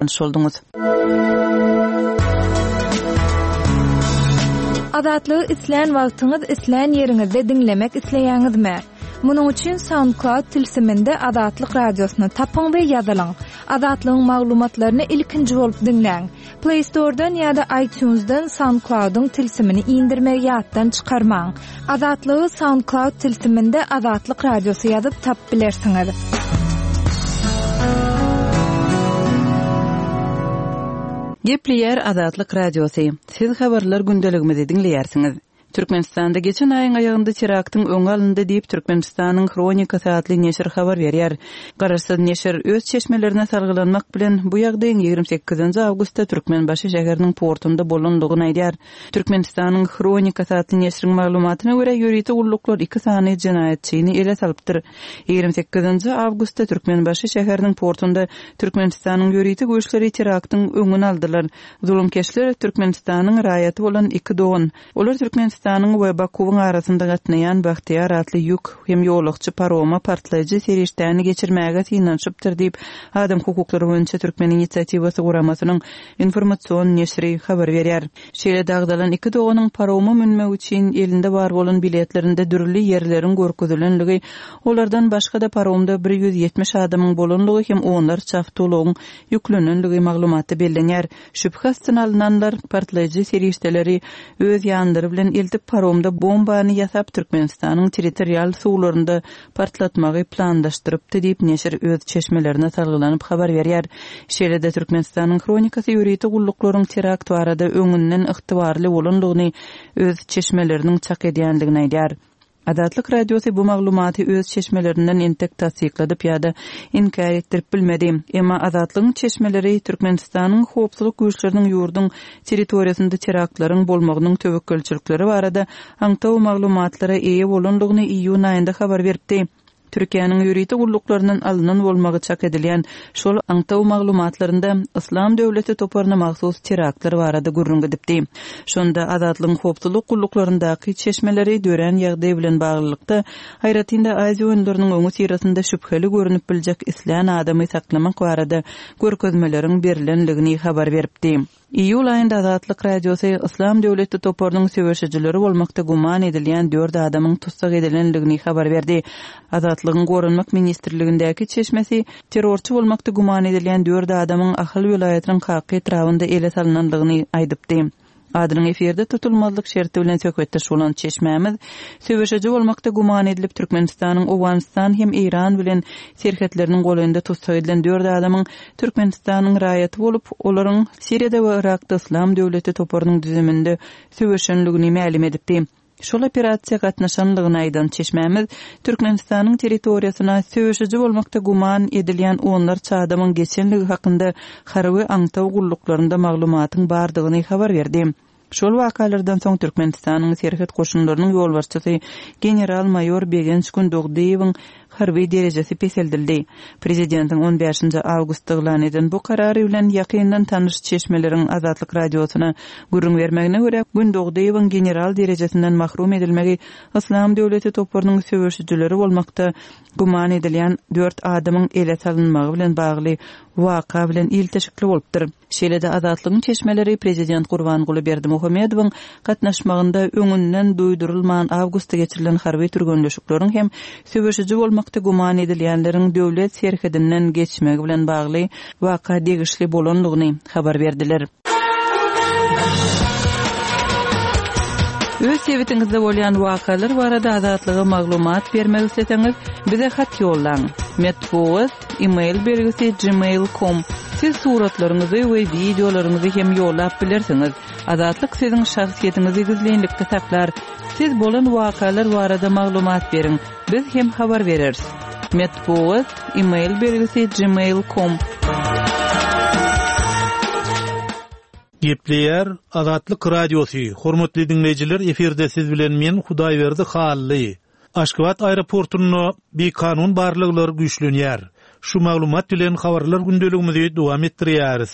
Tanyş bolduňyz. Azatlygy islän wagtyňyz, islän ýeriňizde diňlemek isleýäňizmi? Munuň üçin SoundCloud tilsiminde Azatlyk Radiosyny tapyň we ýazylyň. Azatlygyň maglumatlaryny ilkinji bolup diňläň. Play Store-dan ýa-da iTunes-dan SoundCloud-yň tilsimini indirmegi ýatdan çykarmaň. Azatlygy SoundCloud tilsiminde Azatlyk Radiosy ýazyp tapyp bilersiňiz. Gepleýär Azatlyk Radiosy. Siz habarlar gündeligimizi diňleýärsiňiz. Türkmenistanda geçen aýyň aýagynda teraktyň öňi alyndy diýip, Türkmenistanyň Hronikasy atly neşir habar berýär. Garaşsyz neşir öz çeşmelerine salgylanmak bilen, bu ýagdaýyň 28 awgustda Türkmenbaşy şäheriniň portunda bolandygyny aýdýar. Türkmenistanyň Hronikasy atly neşiriň maglumatyna görä, ýörite gulluklar iki sany jenaýatçyny ele salypdyr. 28 awgustda Türkmenbaşy şäheriniň portunda Türkmenistanyň ýörite güýçleri teraktyň öňüni aldylar. Zulumkeşler Türkmenistanyň raýaty bolan iki dogan. Olar Türkmenistanyň we Bakuwyň arasynda gatnaýan Bagtyýar atly ýük hem ýolagçy paroma partlaýjy serişdäni geçirmäge synanyşypdyr diýip, Adam hukuklary boýunça Türkmen inisiatiwasy guramasynyň informasion neşiri habar berýär. Şeýle-de agzalan iki doganyň paroma münmek üçin elinde bar bolan biletlerinde dürli ýerleriň görkezilenligi, olardan başga-da paromda 170 adamyň bolanlygy hem onlarça awtoulagyň ýüklenenligi maglumatda bellenýär. Şübhe astyna alnanlar partlaýjy serişdeleri öz ýanlary bilen eltip paromda bombany ýasap Türkmenistanyň territorial suwlarynda partlatmagy planlaşdyrypdy diýip neşir öz çeşmelerine salgylanyp habar berýär. Şeýle-de Türkmenistanyň Hronikasy ýörite gulluklaryň terakt barada öňünden ygtybarly bolandygyny öz çeşmeleriniň çak edýändigini aýdýar. Azatlyk Radiosy bu maglumaty öz çeşmelerinden entek tassykladyp ýa-da inkär etdirip bilmedi. Emma Azatlygyň çeşmeleri Türkmenistanyň howpsuzlyk güýçleriniň ýurduň territoriýasynda teraktlaryň bolmagynyň töwekgelçilikleri barada aňtaw maglumatlara eýe bolandygyny iýun aýynda habar beripdi. Türkiýäniň ýörite gulluklaryndan alnan bolmagy çak edilýän şol aňtaw maglumatlarynda Yslam döwleti toparyna mahsus teraktlar barada gürrüň gidipdi. Şonda Azatlygyň howpsuzlyk gulluklaryndaky çeşmeleri dörän ýagdaý bilen baglylykda, aýratyn-da Aziýa oýunlarynyň öňüsyrasynda şübheli görnüp biljek islän adamy saklamak barada görkezmeleriň berlendigini habar beripdi. Iýul aýynda Azatlyk Radiosy Yslam döwleti toparynyň söweşijileri bolmakda güman edilýän dört adamyň tussag edilendigini habar berdi. Azatlygyň Goranmak ministrligindäki çeşmesi terrorçy bolmakda güman edilýän dört adamyň Ahal welaýatynyň Kaka etrabynda ele salnandygyny aýdypdy. Adynyň efirde tutulmazlyk şerti bilen söhbetdeş bolan çeşmämiz söweşiji bolmakda güman edilip Türkmenistanyň Owganystan hem Eýran bilen serhetleriniň golaýynda tussag edilen dört adamyň Türkmenistanyň raýaty bolup, olaryň Siriýada we Yrakda Yslam döwleti toparynyň düzüminde söweşenligini mälim edipdi. Şol operasiýa gatnaşanlygyny aýdan çeşmämiz Türkmenistanyň territoriýasyna söweşiji bolmakda güman edilýän onlarça adamyň geçenligi hakynda harby aňtaw gulluklarynda maglumatyň bardygyny habar berdi. Şol wakalardan soň Türkmenistanyň Serhet goşunlarynyň ýolbaşçysy general-maýor Begenç Gündogdyýewiň harby derejesi peseldildi. Prezidentiň on bäşinji awgustda yglan eden bu karary bilen ýakyndan tanyş çeşmeleriň Azatlyk Radiosyna gürrüň bermegine görä, Gündogdyýewiň general derejesinden mahrum edilmegi Yslam döwleti toparynyň söweşijileri bolmakda güman edilýän dört adamyň ele salynmagy bilen bagly waka bilen ilteşikli bolupdyr. Şeýle-de Azatlygyň çeşmeleri prezident Gurbanguly Berdimuhamedowyň gatnaşmagynda öňünden duýdurylman awgustda geçirilen harby türgenleşikleriň hem söweşiji bolmakda güman edilýänleriň döwlet serhedinden geçmegi bilen bagly waka degişli bolandygyny habar berdiler. Öz sebitiňizde bolýan wakalar barada Azatlyga maglumat bermek isleseňiz, bize hat ýollaň. Metbugat. Email belgisi gmail com Siz suratlaryňyzy we wideolaryňyzy hem ýollap bilersiňiz. Azatlyk siziň şahsyýetiňizi gizlinlikde saklar. Siz bolan wakalar barada maglumat beriň, biz hem habar bereris. Metbugat, email belgisi gmail com. Gepleýär Azatlyk Radiosy, Hormatly diňleýjiler efirde siz bilen men Hudaýberdi Hally. Aşgabat aeroportunda bikanun barlaglar güýçlenýär. Şu maglumat bilen habarlar gündeligimizi dowam etdirýäris.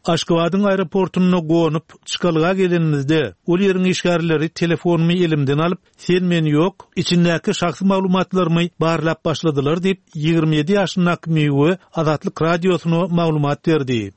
Aşgabadyň aeroportunda gonup, çykalga gelenimizde, ol ýeriň işgärleri telefonymy elimden alyp, sen-men ýok, içindäki şahsy maglumatlarymy barlap başladylar diýip, 27 ýaşyndaky Miwe Azatlyk Radiosyna maglumat berdi.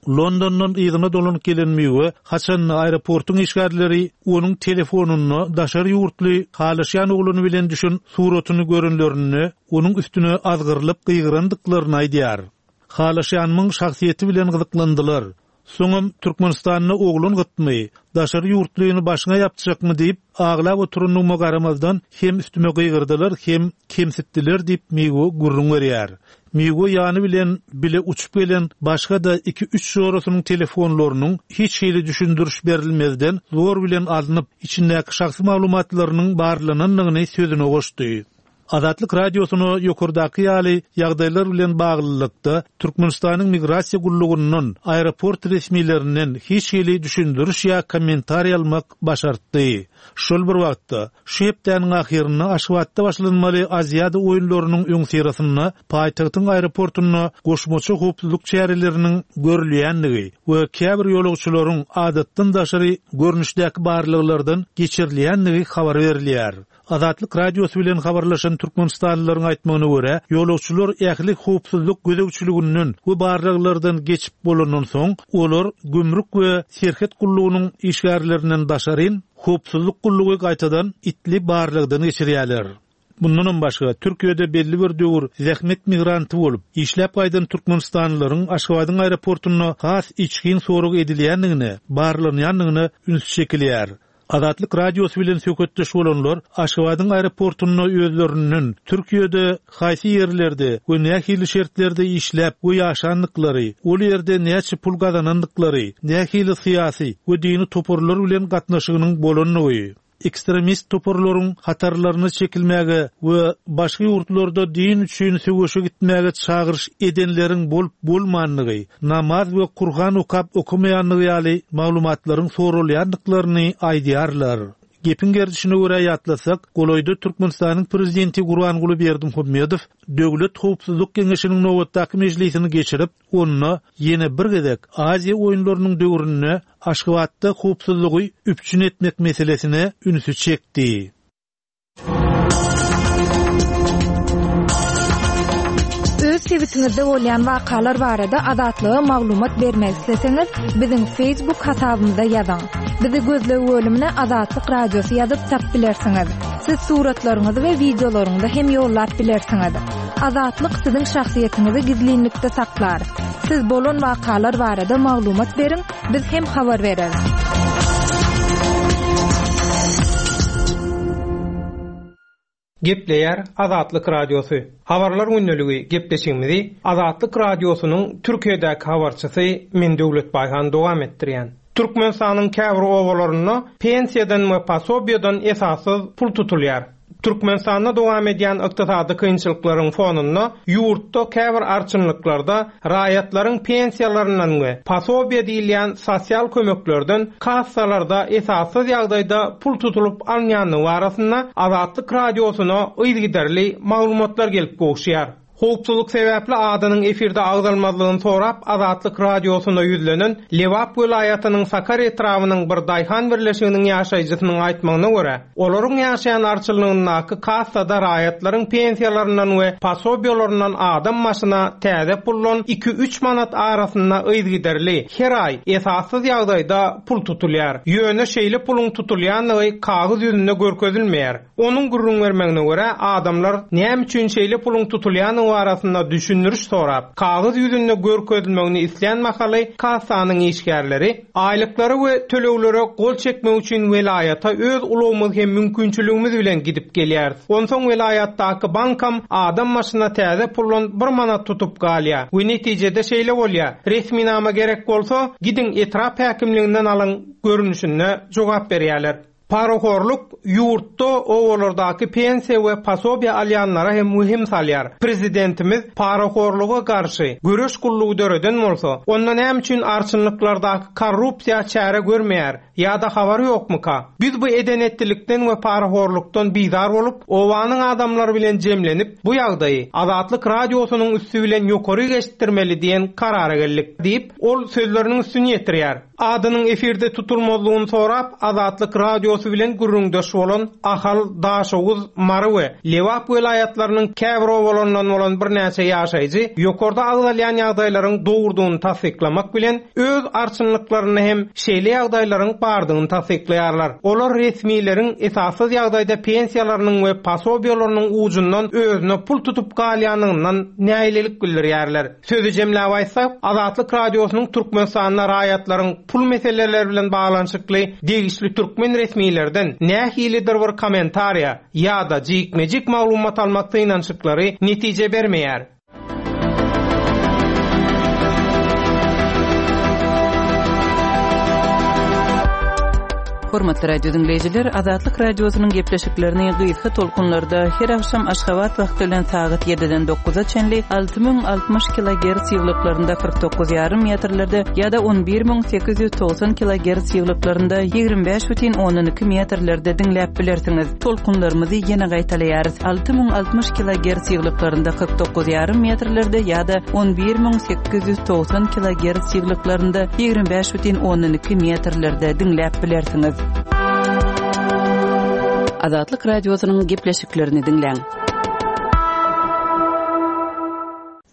Londondan yzyna dolanyp gelen Miwe haçanda aeroportuň işgärleri onuň telefonynda daşary ýurtly halaşýan oglany bilen düşen suratyny görenlerinde onuň üstüne azgyrylyp gygyrandyklaryny aýdýar. Halaşýanymyň şahsyýeti bilen gyzyklandylar. Soňam Türkmenistanda oglan gytmy, daşary ýurtlyny başyňa ýapjakmy diýip, aglap oturandygyma garamazdan hem üstüme gygyrdylar, hem kemsitdiler diýip Miwe gürrüň berýär. Miwe ýany bilen bile uçup gelen başga-da iki-üç jorasynyň telefonlarynyň hiç hili düşündiriş berilmezden zor bilen alnyp, içindäki şahsy maglumatlarynyň barlanandygyny sözüne goşdy. Azatlyk Radiosyna ýokardaky ýaly ýagdaýlar bilen baglylykda, Türkmenistanyň Migrasiýa gullugyndan, aeroport resmilerinden hiç hili düşündiriş ýa kommentariý almak başartdy. Şol bir wagtda, şu hepdäniň ahyrynda Aşgabatda başlanmaly Aziada oýunlarynyň öňüsyrasynda paýtagtyň aeroportunda goşmaça howpsuzlyk çäreleriniň görülýändigi we käbir ýolagçylaryň adatdan daşary görnüşdäki barlaglardan geçirilýändigi habar berilýär. Azatlyk Radiosy bilen habarlaşan türkmenistanlylaryň aýtmagyna görä, ýolagçylar ähli howpsuzlyk gözegçiliginden we barlaglardan geçip bolandan soň, olar gümrük we serhet gullugynyň işgärlerinden daşaryn, howpsuzlyk gullugy gaýtadan itli barlagdan geçirýärler. Mundanam başga, Türkiýede belli bir döwür zähmet migranty bolup, işläp gaýdan türkmenistanlylaryň Aşgabadyň aeroportunda has içgin sorag edilýändigine, barlanýandygyna üns çekilýär. Azatlyk Radiosy bilen söhbetdeş bolanlar Aşgabadyň aeroportunda özlerinden Türkiýede haýsy ýerlerde we nähili şertlerde işläp we ýaşandyklary, ol ýerde näçe pul gazanandyklary, nähili syýasy we dini toparlar bilen gatnaşygynyň bolandygy, ekstremist toparlaryň hatarlaryna çekilmäge we başga ýurtlarda din üçin söweşe gitmäge çagyryş edenleriň bolup-bolmandygy, namaz we Kurhan okap okamaýandygy ýaly maglumatlaryň soralýandyklaryny aýdýarlar. Gepiň gerdişine görä ýatlasak, golaýda Türkmenistanyň Prezidenti Gurbanguly Berdimuhamedow Döwlet howpsuzlyk geňeşiniň nobatdaky mejlisini geçirip, onda ýene bir gezek Aziýa oýunlarynyň döwründe Aşgabatda howpsuzlygy üpjün etmek meselesine ünsi çekdi. Öz sebitiňizde bolýan wakalar barada Azatlyga maglumat bermek isleseňiz, biziň Facebook hasabymyza ýazyň. Bizi gözleg bölümine Azatlyk Radiosy ýazyp tap bilersiňiz. Siz suratlaryňyzy we wideolaryňyzy hem ýollap bilersiňiz. Azatlyk siziň şahsyýetiňizi gizlinlikde saklar. Siz bolan wakalar barada maglumat beriň, Biz hem habar bereris. Gepleýär Azatlyk Radiosy. Habarlar gündeligi gepleşigimizi Azatlyk Radiosynyň Türkiýedäki habarçysy men Döwlet Baýhan dowam etdirýän. Türkmenistanyň käbir obalarynda pensiýadan we posobiýadan esassyz pul tutulýar. Türkmenistanda dowam edýän ykdysady kynçylyklaryň fonunda ýurtda käbir arçynlyklarda raýatlaryň pensiýalaryndan we posobiýa diýilýän sosial kömeklerden kassalarda esassyz ýagdaýda pul tutulyp alynýandygy barasynda Azatlyk Radiosyna yzygiderli maglumatlar gelip gowuşýar. Howpsuzlyk sebäpli adynyň efirde agzalmazlygyny sorap Azatlyk Radiosyna ýüzlenen Lebap welaýatynyň Sakar etrabynyň bir daýhan birleşiginiň ýaşaýjysynyň aýtmagyna görä, olaryň ýaşaýan arçynlygyndaky kassada raýatlaryň pensiýalaryndan we posobiýalaryndan adam başyna täze puldan iki-üç manat arasynda yzygiderli, her aý, esassyz ýagdaýda pul tutulýar. Ýöne şeýle puluň tutulýandygy kagyz ýüzünde görkezilmeýär. Onuň gürrüň bermegine görä, adamlar näme üçin şeýle puluň tutulýandygy barasynda düşündiriş sorap, kagyz ýüzünde görkezilmegini islän mahaly kassanyň işgärleri aýlyklara we töleglere gol çekmek üçin welaýata öz ulagymyz hem mümkinçiligimiz bilen gidip gelýäris. Onsoň welaýatdaky bankam adam başyna täze puldan bir manat tutup galýar we netijede şeýle bolýar, resminama gerek bolsa, gidiň etrap häkimliginden alyň görnüşinde jogap berýärler. Parahorluk ýurtda obalardaky pensiýa we posobiýa alýanlara hem wehim salýar. Prezidentimiz parahorluga garşy göreş gullugy döreden bolsa, onda näme üçin arçynlyklardaky korrupsiýa çäre görmeýär ýa-da habary ýokmuka? Biz bu eden-etdilikden we parahorlukdan bizar bolup, obanyň adamlary bilen jemlenip, bu ýagdaýy Azatlyk Radiosynyň üsti bilen ýokaryk eşitdirmeli diýen karara geldik diýip, ol sözleriniň üstüni ýetirýär. Adynyň efirde tutulmazlygyny sorap, Azatlyk Radiosy. Radiosy bilen gürrüňdeş bolan Ahal, Daşoguz, Mary we Lebap welaýatlarynyň käbir obalaryndan bolan birnäçe ýaşaýjy ýokarda agzalýan ýagdaýlaryň dogrudygyny tassyklamak bilen, öz arçynlyklarynda hem şeýle ýagdaýlaryň bardygyny tassyklaýarlar. Olar resmileriň esassyz ýagdaýda pensiýalarynyň we posobiýalarynyň ujundan özüne pul tutup galýandygyndan nägilelik bildirýärler. Sözi jemläp aýtsak, Azatlyk Radiosynyň Türkmenistanda raýatlaryň pul meseleleri bilen baglanyşykly degişli türkmen resmilerden nähilidir bir kommentariýa ýa-da jikme-jik maglumat almak synanyşyklary netije bermeýär. Hormatly radio diňleýjiler, Azatlyk Radiosynyň gepleşiklerini gysga tolkunlarda her agşam Aşgabat wagty bilen sagat 7-den 9-a çenli 6060 kilogerts ýyglyklarynda 49,5 metrlerde ýa-da 11890 kilogerts ýyglyklarynda 25,2 metrlerde diňläp bilersiňiz. Tolkunlarymyzy ýene gaýtalaýarys, 6060 kilogerts ýyglyklarynda 49 ýarym metrlerde ýa-da 11890 kilogerts ýyglyklarynda 25,2 metrlerde diňläp bilersiňiz. Azatlyk Radiosynyň gepleşiklerini diňläň.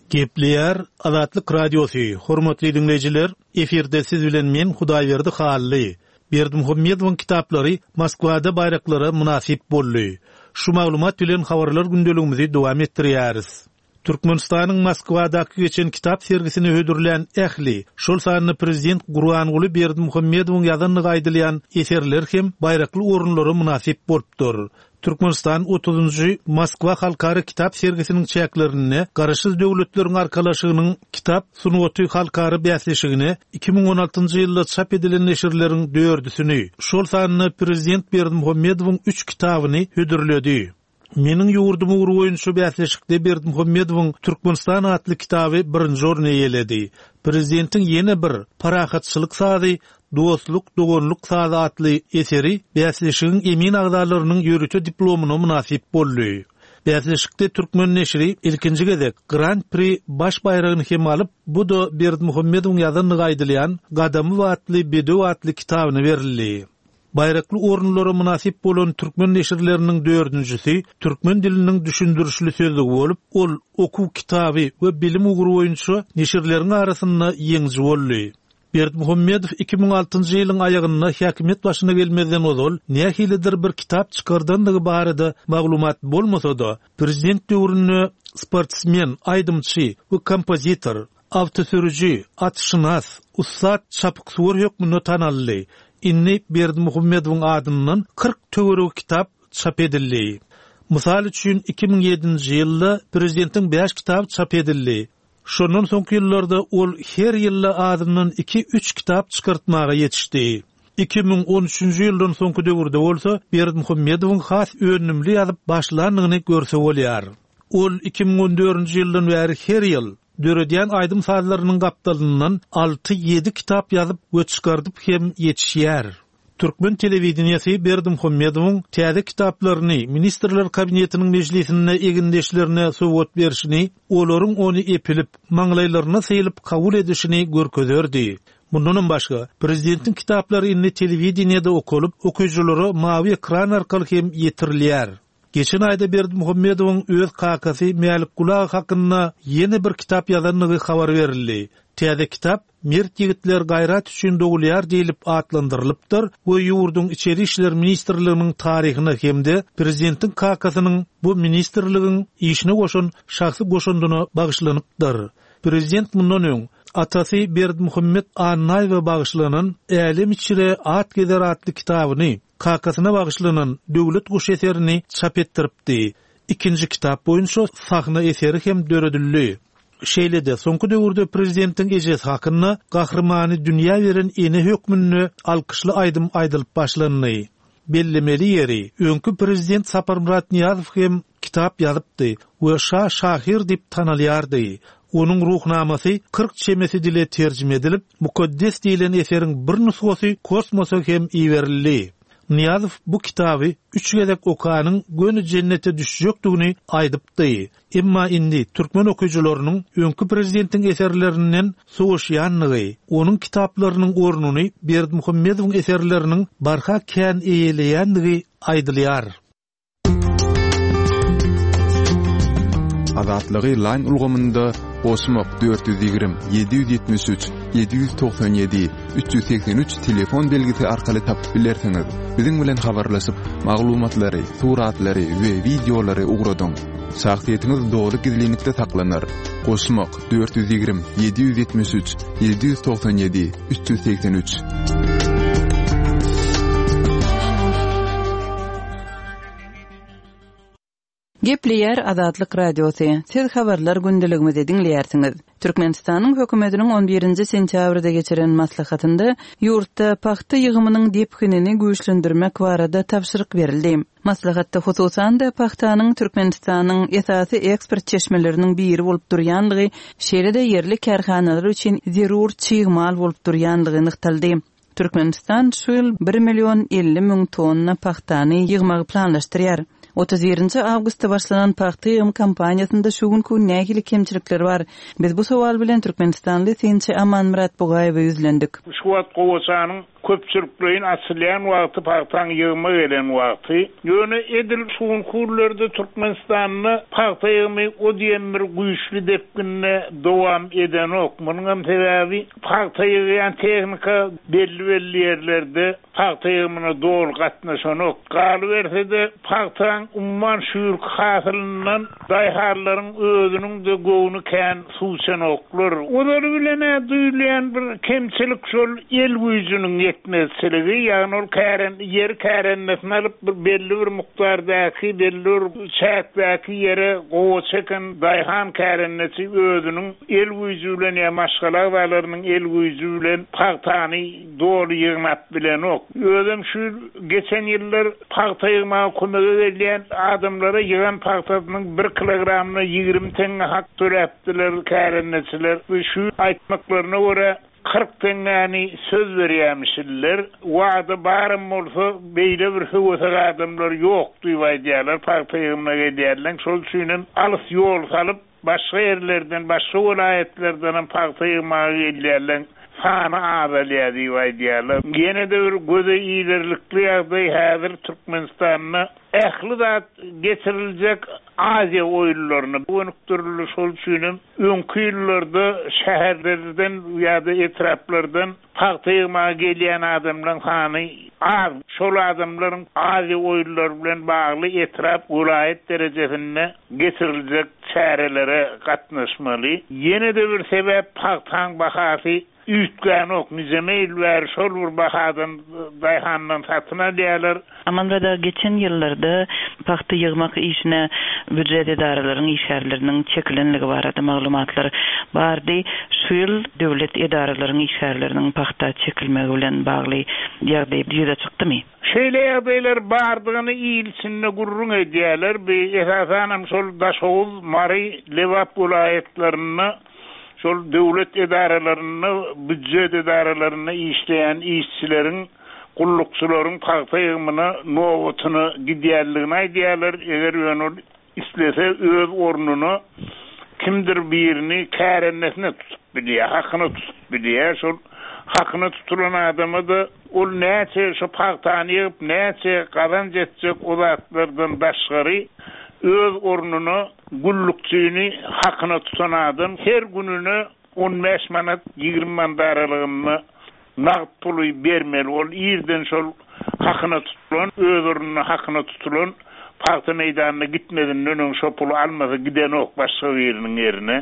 Gepleýär Azatlyk Radiosy, Hormatly diňleýjiler, efirde siz bilen men Hudaýberdi Hally. Berdimuhamedowyň kitaplary Moskwada baýraklara mynasyp boldy. Şu maglumat bilen habarlar gündeligimizi dowam etdirýäris. Türkmenistanyň Moskwadaky geçen kitap sergisine hödürlän ähli, şol sanda prezident Gurbanguly Berdimuhamedowyň ýazandygy aýdylýan eserler hem baýrakly orunlara mynasyp bolupdyr. Türkmenistan otuzynjy Moskwa halkara kitap sergisiniň çäklerinde Garaşsyz Döwletleriň Arkalaşygynyň kitap sungaty halkara bäsleşigine 2016-njy ýylda çap edilen neşirleriň dördüsini, şol sanda prezident Berdimuhamedowyň üç kitabyny hödürledi. Meniň ýurdum ugry boýunça bäsleşikde Berdimuhamedowyň Türkmenistan atly kitaby birinji orny eýeledi. Prezidentiň ýene bir Parahatçylyk sazy Dostluk, doganlyk sazy atly eseri bäsleşigiň emin agzalarynyň ýörite diplomyna mynasyp boldy. Bäsleşikde türkmen neşiri ilkinji gezek Gran-pri baş baýragyny hem alyp, bu-da Berdimuhamedowyň ýazandygy aýdylýan Gadamy batly bedew atly kitabyna berildi. Baýrakly orunlara mynasyp bolan türkmen neşirleriniň dördünjisi Türkmen diliniň düşündirişli sözlügi bolup, ol okuw kitaby we bilim ugry boýunça neşirleriň arasynda ýeňiji boldy. Berdimuhamedow 2006-njy ýylyň aýagynda häkimiýet başyna gelmezden ozal nähilidir bir kitap çykardandygy barada maglumat bolmasa-da, prezident döwründe sportsmen, aýdymçy we kompozitor, awtosürüji, atşynas, ussat çapyksuwar hökmünde tanaldy. Indi Berdimuhamedowyň adyndan 40 töweregi kitap çap edildi. Mysal üçin, 2007-nji ýylda prezidentiň bäş kitaby çap edildi. Şondan soňky ýyllarda ol her ýylda azyndan iki-üç kitap çykartmaga ýetişdi. 2013-nji ýyldan soňky döwürde bolsa Berdimuhamedowyň has önümli ýazyp başlandygyny görse bolýar. Ol 2014-nji ýyldan bäri her ýyl, döredýän aýdym-sazlarynyň gapdalyndan alty-ýedi kitap ýazyp we çykardyp hem ýetişýär. Türkmen telewideniýesi Berdimuhamedowyň täze kitaplaryny Ministrler Kabinetiniň mejlisinde egindeşlerine sowgat berşini, olaryň ony epilip, maňlaýlaryna sylyp kabul edişini görkezerdi. Mundanam başga, prezidentiň kitaplary indi telewideniýede okalyp, okyjylara mawy ekran arkaly hem ýetirilýär. Geçen aýda Berdimuhamedowyň öz kakasy Mälikguly aga hakynda ýene bir kitap ýazandygy habar berildi. Täze kitap Mert ýigitler gaýrat üçin dogulýar diýlip atlandyrylypdyr we ýurduň Içeri işler ministrliginiň taryhyna hem-de prezidentiň kakasynyň bu ministrligiň işine goşan şahsy goşandyna bagyşlanypdyr. Prezident mundan öň, atasy Berdimuhamet Annaýewe bagyşlanan Älem içre at gezer atly kitabyny, kakasyna bagyşlanan Döwlet guşy eserini çap etdiripdi. Ikinji kitap boýunça sahna eseri hem döredildi. Şeýle-de, soňky döwürde prezidentiň ejesi hakynda gahrymany dünýä beren ene hökmünde alkyşly aýdym aýdylyp başlandy. Bellemeli ýeri, öňki prezident Saparmyrat Nyýazow hem kitap ýazypdy we şa şahyr diýip tanalýardy. Onuň Ruhnamasy 40 çemesi dile terjime edilip, Mukaddes diýlen eseriň bir nusgasy kosmosa hem iberildi. Nyýazow bu kitaby üç gezek okanyň göni jennete düşjekdigini aýdypdy. Emma indi türkmen okyjylarynyň öňki prezidentiň eserlerinden sowaşýandygy, onuň kitaplarynyň ornuny Berdimuhamedowyň eserleriniň barha kän eýeleýändigi aýdylýar. Azatlygy Line ulgamynda goşmak 420 773 797 383 telefon belgisi arkaly tapyp bilersiňiz. Biziň bilen habarlaşyp, maglumatlary, suratlary we wideolary ugradyň. Şahsyýetiňiz doly gizlinlikde saklanar. Goşmak 420 773 797 383. Gepleýär Azatlyk Radiosy, Siz habarlar gündeligimizi diňleýärsiňiz. Türkmenistanyň hökümetiniň on birinji sentýabrda geçiren maslahatynda ýurtda pagta ýygymynyň depginini güýçlendirmek barada tabşyryk berildi. Maslahatda hususan-da pagtanyň Türkmenistanyň esasy eksport çeşmeleriniň biri bolup durýanlygy, şeýle-de ýerli kärhanalar üçin zerur çig mal bolup durýanlygy nygtaldy. Türkmenistan şu ýyl bir million 50 müň tonna pagtany ýygmagy planlaşdyrýar. 31-nji awgustda başlanan pagta ýygym kampaniýasynda şu günki gün nähili kemçilikler bar? Biz bu sowal bilen türkmenistanly synçy Amanmyrat Bugaýewe ýüzlendik. Şu wagt gowaçanyň Köpçülikleýin açylýan wagty pagtaň ýygyma gelen wagty. Ýöne edil şu günki günlerde Türkmenistanda pagta ýygymy o diýen bir güýçli depginde dowam edenok. Munuňam sebäbi pagta ýygýan tehnika belli-belli ýerlerde pagta ýygymyna doly gatnaşanok. Galyberse-de, pagtaň umuman şu ýylky hasylyndan Daýhanlaryň özüniň-de göwni kän suw içenoklar. Ozaly bilen-ä duýulýan bir kemçilik şol el güýjüniň ýetmezçiligi, ýagny ol kären ýeri kärendesine alyp bir belli bir mukdardaky, belli bir çäkdäki ýere gowaça eken daýhan kärendeçi özüniň el güýji bilen ýa maşgala agzalarynyň el güýji bilen pagtany doly ýygnap bilenok. Özem şu ýyl geçen ýyllar Pagta ýygmaga kömege gelýän adamlara ýygan pagtasynyň bir kilogramyna 20 teňňe hak töläpdiler kärendeçiler. Şu aýtmaklaryna görä, 40 teňňäni söz berýämişinler. Wada baram bolsa, beýle bir höwesek adamlar ýok diýip aýdýarlar pagta ýygymyna gelýänleň. Şol üçinem alys ýol salyp, Başga ýerlerden, başga welaýatlardanam pagta ýygmaga gelýärleň sany azalýar diýip aýdýarlar. Ýene-de bir göze ilerlikli ýagdaý häzir Türkmenistanda ähli zat geçiriljek Aziýa oýunlaryna gönükdirildi. Şol üçinem öňki ýyllarda şäherlerden ýa-da etraplardan Pagta ýygmaga gelýän adamlaryň sany az. Şol adamlaryň Aziýa oýunlary bilen bagly etrap, welaýat derejesinde geçiriljek çärelere gatnaşmaly. Ýene-de bir sebäp pagtaň bahasy üýtgänok. Nijeme ýyl bäri şol bir bahadan daýhandan satyn alýarlar. Amanzada geçen ýyllarda pagta ýygmak işine býujet edaralaryň işgärleriniň çekilenligi barada maglumatlar bardy. Şu ýyl döwlet edaralaryň işgärleriniň pagta çekilmegi bilen bagly ýagdaý ýüze çykdymy? Şeýle ýagdaýlar bardygyny il içinde gürrüň edýärler. Bu esasanam şol Daşoguz, Mary, Lebap welaýatlarynda şol döwlet edaralarynda, býujet edaralarynda işleýän işçileriň gullukçylaryň pagta ýygymyna nobatyna gidýänligini aýdýarlar, eger ýöne ol islese öz ornuna kimdir birini kärendesine tutup bilýär, hakyna tutup bilýär, şol hakyna tutulan adama-da ol näçe şo pagtany ýygyp näçe gazanç etjek o zatlardan daşgary öz ornuna gullukçyny hakyna tutan adam her gününe 15 manat, 20 manat aralygynda nagt puly bermeli. Ol irden şol hakyna tutulan, öz ornuna hakyna tutulan pagta meýdanyna gitmezinden öň şo puly almasa gidenok başga biriniň ýerine.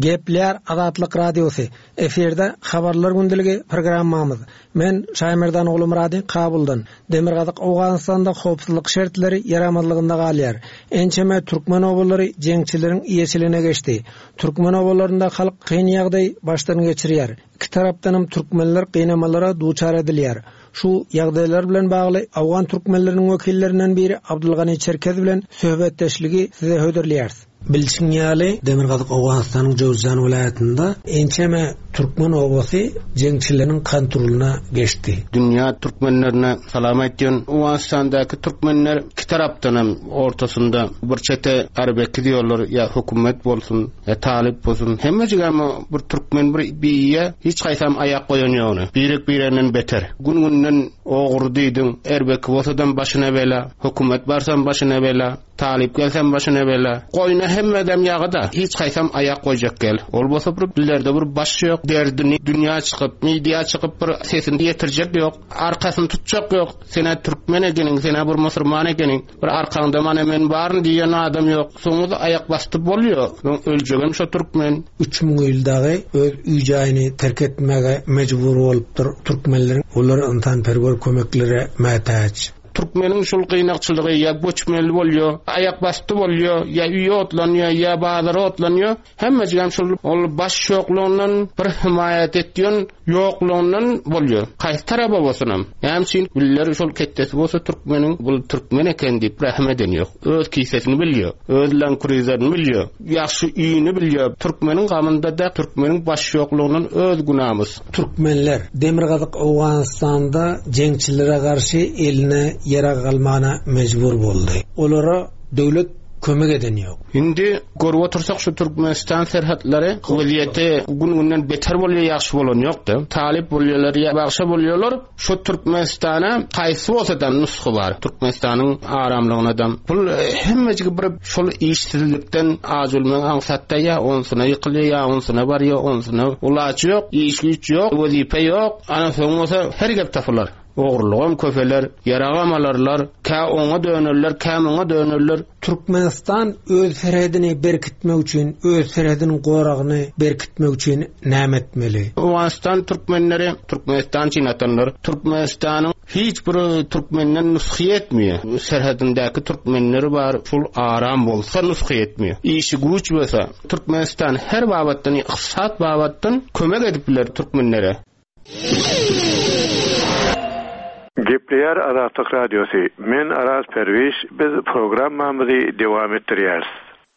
Gepleýär Azatlyk Radiosy, efirde Habarlar gündeligi programmamyz. Men Şaýmerdan Ogulmyrady Kabuldan. Demirgazyk Owganystanda howpsuzlyk şertleri ýaramazlygynda galýar. Ençeme türkmen obalary jeňçileriň eýeçiligine geçdi. Türkmen obalarynda halk kyn ýagdaý başdan geçirýär. Iki tarapdanam türkmenler gynamalara duçar edilýär. Şu ýagdaýlar bilen bagly owgan türkmenleriniň wekillerinden biri Abdulgani Çerkez bilen söhbetdeşligi size hödürleýäris. Bilşiň ýaly, Demirgazyk Owganystanyň Jöwüzjan welaýatynda ençeme. Türkmen obasy jeňçileriň kontrolyna geçdi. Dünýä türkmenlerine salam aýtýan. Owganystandaky türkmenler iki tarapdanam ortasynda bir çete Arbeki diýorlar ýa hökümet bolsun ýa talyp bolsun hemmejigem bir türkmen bir biýe hiç haýsam aýak goýan ýogny. Birek bireginden beter. Gün günden ogry diýdiň erbeki bolsadam başyna bela, hökümet barsam başyna bela. Talyp gelsem başyna bela. Goýna hemmedem ýagy-da, hiç haýsam aýak goýjak gel. Ol bolsa bir dillerde bir baş ýok, derdini dünýä çykyp, media çykyp bir sesini ýetirjek ýok, arkasyny tutjak ýok. Sen-ä türkmen ekeniň, sen-ä bir musurman ekeniň, bir arkaňda mana men baryn diýen adam ýok. Soňuzy aýak basdy bolýa. Soň öljegem şo türkmen. 3000 ýyl dagy öz öý-jaýyny terk etmäge mejbur bolupdyr türkmenleriň. Olar ynsanperwer kömeklere mätäç. Türkmeniň şul gynakçylygy ýa göçmeli bolýa, aýak basdy bolýa, ýa öýi otlanýa, ýa bazary otlanýa, hemmejigem şul ol baş ýoklugyndan, bir himaýat etýän ýoklugyndan bolýa. Haýsy taraba bolsunam. Näme üçin biller şol ketdesi bolsa türkmeniň bul türkmen eken diýip rähm eden ýok. Öz kisesini bilýä, öz lankurizlerini bilýä, ýagşy öýüni bilýä. Türkmeniň gamynda-da türkmeniň baş ýoklugyndan öz günamyz. Türkmenler Demirgazyk Owganystanda jeňçilere garşy eline ýarag almana mejbur boldy. Olara döwlet kömek eden ýok. Indi görüp otursak şu Türkmenistan serhetlary wezýeti gün günden beter bolýar ýagşy bolan ýokda. Talyp bolýarlar ýa bagşa bolýarlar. Şu Türkmenistana haýsy bolsada nusgy bar. Türkmenistanyň aramlygynadam. Bul hemmejigi bir şol işsizlikden aç ölmek aňsatda ýa onsyna ýykylýar ýa onsyna barýar onsyna ulaç ýok, iş güýç ýok, wezipe ýok. Ana soň bolsa her gep tapylar. Ogrulygam köpeler, ýaragam alarlar, kä oňa dönerler, kä muňa dönerler. Türkmenistan öz serhedini berkitmek üçin, öz serhediniň goragyny berkitmek üçin näme etmeli? Owganystan türkmenleri Türkmenistan üçin atanlar. Türkmenistanyň hiç bir türkmenden nusgy etmeýär. Serhedindäki türkmenleri bar, şul aram bolsa nusgy etmeýär. Işi güýç bolsa, Türkmenistan her babatdan, ykdysat babatdan kömek edip biler türkmenlere. Gepleýär Azatlyk Radiosy, Men Araz Perwiş, biz programmamyzy dowam etdirýäris.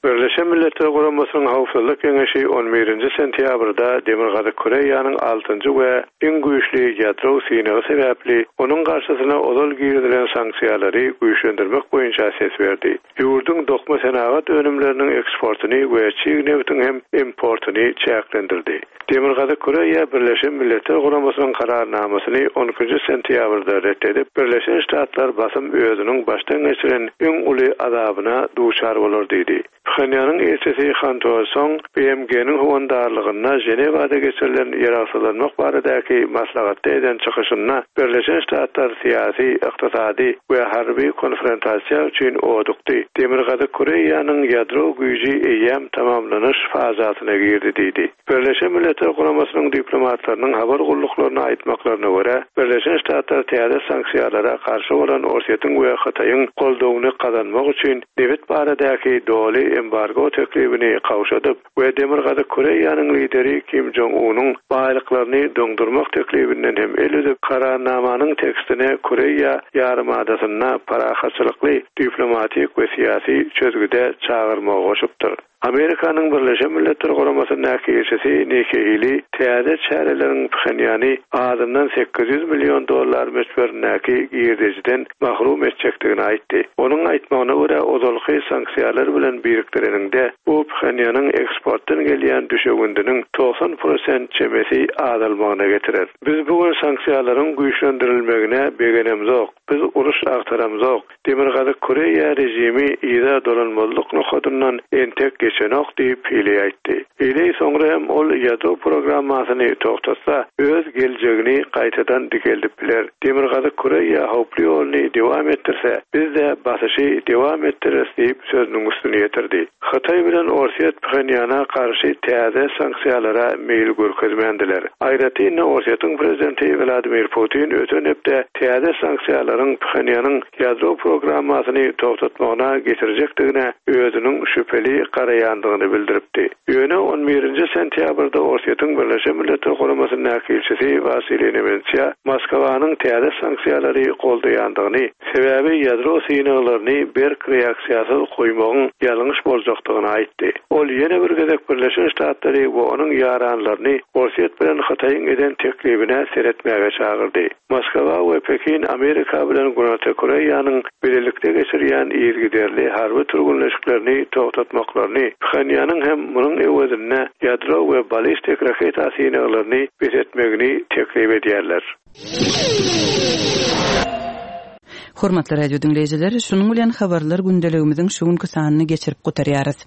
Birleşen Milletler Guramasynyň Howpsuzlyk Geňeşi on birinji sentýabrda Demirgazyk Koreýanyň altynjy we iň güýçli ýadro synagy sebäpli onuň garşysyna ozal girizilen sanksiýalary güýçlendirmek boýunça ses berdi. Ýurduň dokma senagat önümleriniň eksportyny we çig nebtiň hem importyny çäklendirdi. Demirgazyk Koreýa Birleşen Milletler Guramasynyň Kararnamasyny on ikinji sentýabrda ret edip, Birleşen Ştatlar basym özüniň başdan geçiren iň uly azabyna duçar bolar diýdi. Phenýanyň ilçisi Han To Song BMG-niň howandarlygynda Ženewada geçirilen ýaragsyzlanmak baradaky maslahatda eden çykyşynda Birleşen Ştatlar syýasy, ykdysady we harby konfrontasiýa üçin odukdy, Demirgazyk Koreýanyň ýadro güýji eýýäm tamamlanyş fazasyna girdi diýdi. Birleşen Milletler Guramasynyň diplomatlarynyň habar gulluklaryna aýtmaklaryna görä, Birleşen Ştatlar täze sanksiýalara garşy bolan Orsýetiň we Hytaýyň goldawyny gazanmak üçin nebit baradaky doly embargo teklibini gowşadyp we Demirgazyk Koreýanyň lideri Kim Jong Unyň baýlyklaryny doňdurmak teklibinden hem el üzüp, Kararnamanyň tekstine Koreýa ýarymadasynda parahatçylykly diplomatik we syýasy çözgüde çagyrmagy goşupdyr. Amerikanyň Birleşen Milletler Guramasyndaky ilçisi Nikki Heýli täze çäreleriň Phenýany azyndan 800 million dollar möçberindäki girdejiden mahrum etjekdigini aýtdy. Onuň aýtmagyna görä, ozalky sanksiýalar bilen birikdireniňde, bu Phenýanyň eksportdan gelýän düşewündiniň 90 prosent çemesi azalmagyna getirer. Biz bu gün sanksiýalaryň güýçlendirilmegine begenemzok. Biz uruş agtaramzok. Demirgazyk Koreýa režimi yza dolanmazlyk nokadyndan entek geçenok diýip, Hileý aýtdy. Hileý soňra hem ol ýadro programmasyny togtatsa, öz geljegini gaýtadan dikeldip biler. Demirgazyk Koreýa howply ýoluny dowam etdirse, biz-de basyşy dowam etdireris diýip, sözüniň üstüni ýetirdi. Hytaý bilen Orsýet Phenýana garşy täze sanksiýalara meýil görkezmändiler. Aýratyn-da Orsýetiň prezidenti Wladimir Putin öten hepde täze sanksiýalaryň Phenýanyň ýadro programmasyny togtatmagyna getirjekdigine özüniň şübheli garaýandygyny. goldaýandygyny bildiripdi. Ýöne on birinji sentýabrda Orsýetiň Birleşen Milletler Guramasyndaky ilçisi Wasiliý Nebenzýa Moskwanyň täze sanksiýalary goldaýandygyny, sebäbi ýadro synaglaryny berk reaksiýasyz goýmagyň ýalňyş boljakdygyny aýtdy. Ol ýene bir gezek Birleşen Ştatlary we onuň ýaranlaryny Orsýet bilen Hytaýyň eden teklibine seretmäge çagyrdy. Moskwa we Pekin Amerika bilen Günorta Koreýanyň bilelikde geçirýän yzygiderli harby türgenleşiklerini togtatmaklaryny, Phenýanyň hem munuň öwezinde ýadro we ballistik raketa synaglaryny bes etmegini teklip edýärler. Hormatly radio diňleýjiler, şunuň bilen habarlar gündeligimiziň şu günki sanyny geçirip gutarýarys.